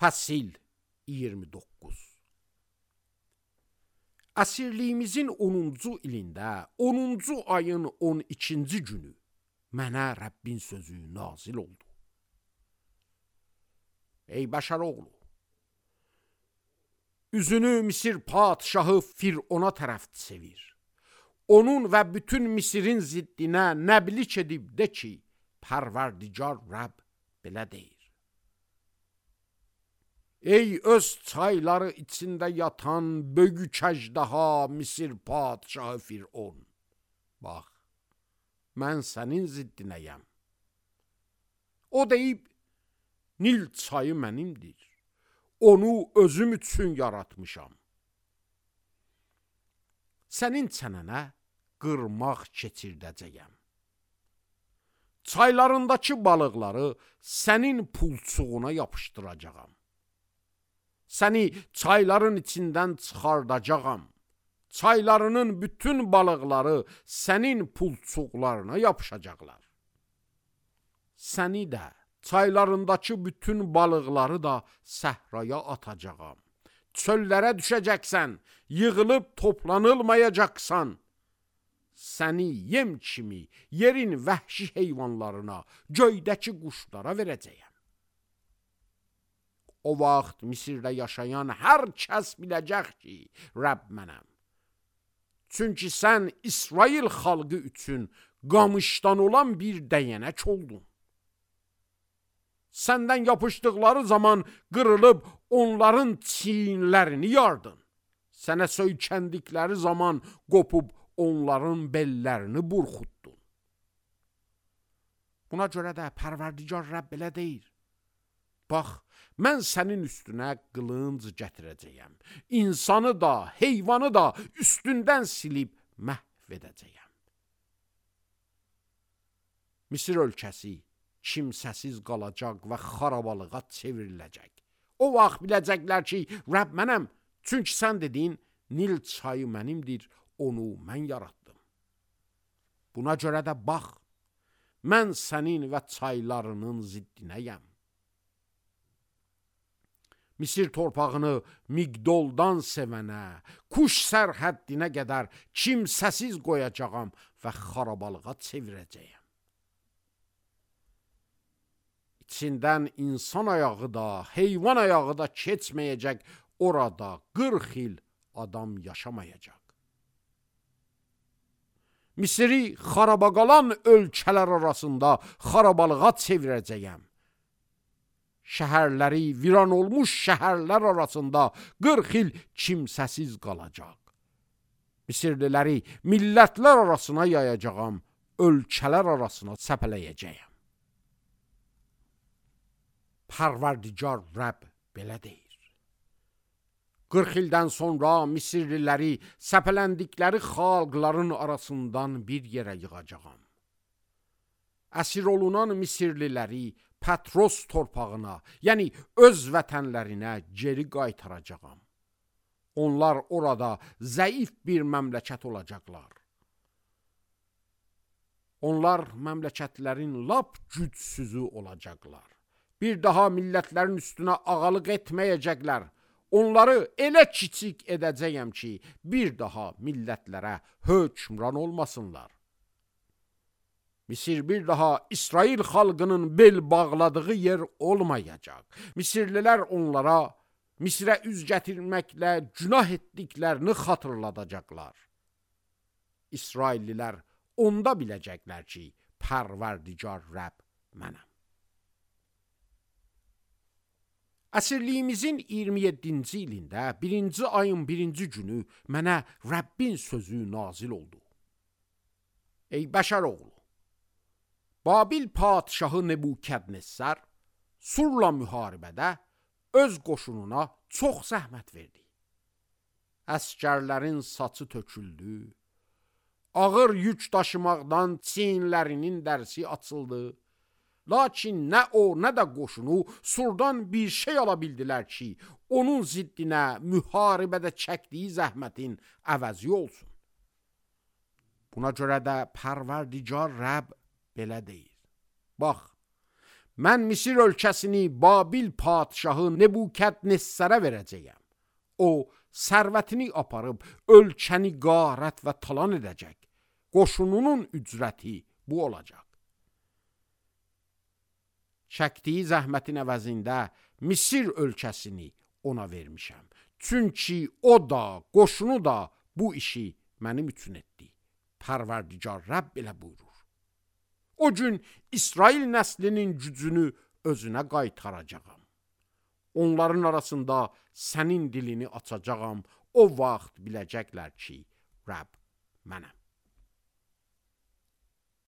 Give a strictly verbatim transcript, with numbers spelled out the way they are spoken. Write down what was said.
Fəsil iyirmi doqquz. Əsirliyimizin onuncu ilində, onuncu ayın on ikinci günü mənə Rəbbin sözü nazil oldu. Ey bəşər oğlu, üzünü Misir padşahı Firona tərəf çevir. Onun və bütün Misirin ziddinə nəblik edib de ki, Pərverdigar Rəbb belə deyir. Ey öz çayları içində yatan böyük əjdaha Misir padşahı Firon, bax, mən sənin ziddinəyəm. O deyib, Nil çayı mənimdir, onu özüm üçün yaratmışam. Sənin çənənə qırmaq keçirdəcəyəm. Çaylarındakı balıqları sənin pulçuğuna yapışdıracağam. Səni çayların içindən çıxardacağam. Çaylarının bütün balıqları sənin pulçuqlarına yapışacaqlar. Səni də, çaylarındakı bütün balıqları da səhraya atacağam. Çöllərə düşəcəksən, yığılıb toplanılmayacaqsan. Səni yem kimi yerin vəhşi heyvanlarına, göydəki quşlara verəcəyəm. O vaxt Misirdə yaşayan hər kəs biləcək ki, Rəbb mənəm. Çünki sən İsrail xalqı üçün qamışdan olan bir dəyənək oldun. Səndən yapışdıqları zaman qırılıb onların çiyinlərini yardın. Sənə söykəndikləri zaman qopub onların bellərini burxutdun. Buna görə də Pərverdigar Rəbb belə deyir. Bax, mən sənin üstünə qılınc gətirəcəyəm. İnsanı da, heyvanı da üstündən silib məhv edəcəyəm. Misir ölkəsi kimsəsiz qalacaq və xarabalığa çevriləcək. O vaxt biləcəklər ki, Rəbb mənəm, çünki sən dedin, Nil çayı mənimdir, onu mən yaratdım. Buna görə də bax, mən sənin və çaylarının ziddinəyəm. Misir torpağını Migdoldan sevənə, Kuş sərhəddinə qədər kimsəsiz qoyacağam və xarabalığa çevirəcəyəm. İçindən insan ayağı da, heyvan ayağı da keçməyəcək, orada qırx il adam yaşamayacaq. Misiri xaraba qalan ölkələr arasında xarabalığa çevirəcəyəm. Şəhərləri viran olmuş şəhərlər arasında qırx il kimsəsiz qalacaq. Misirliləri millətlər arasına yayacağam, ölkələr arasına səpələyəcəyəm. Pərverdigar Rəbb belə deyir. qırx ildən sonra Misirliləri səpələndikləri xalqların arasından bir yerə yığacağam. Əsir olunan Misirliləri Patros torpağına, yəni öz vətənlərinə geri qaytaracağam. Onlar orada zəif bir məmləkət olacaqlar. Onlar məmləkətlərin lap gücsüzü olacaqlar. Bir daha millətlərin üstünə ağalıq etməyəcəklər. Onları elə kiçik edəcəyəm ki, bir daha millətlərə hökmran olmasınlar. Misir bir daha İsrail xalqının bel bağladığı yer olmayacaq. Misirlilər onlara Misirə üz gətirməklə günah etdiklərini xatırladacaqlar. İsraillilər onda biləcəklər ki, Pərverdigar Rəbb mənəm. Əsirliyimizin iyirmi yeddinci ilində birinci ayın birinci günü mənə Rəbbin sözü nazil oldu. Ey bəşər oğlu, Babil padşahı Nebukadnessar Surla müharibədə öz qoşununa çox zəhmət verdi. Əskərlərin saçı töküldü, ağır yük daşımaqdan çiyinlərinin dərsi açıldı. Lakin nə o, nə də qoşunu Surdan bir şey ala bildilər ki, onun ziddinə müharibədə çəkdiyi zəhmətin əvəzi olsun. Buna görə də Pərverdigar Rəbb belə deyir. Bax, mən Misir ölkəsini Babil padşahı Nebukadnessara verəcəyəm. O, sərvətini aparıb ölkəni qarət və talan edəcək. Qoşununun ücrəti bu olacaq. Çəkdiyi zəhmətin əvəzində Misir ölkəsini ona vermişəm. Çünki o da, qoşunu da bu işi mənim üçün etdi. Pərverdigar Rəbb belə buyurur. O gün İsrail nəslinin gücünü özünə qaytaracağam. Onların arasında sənin dilini açacağam. O vaxt biləcəklər ki, Rəbb mənəm.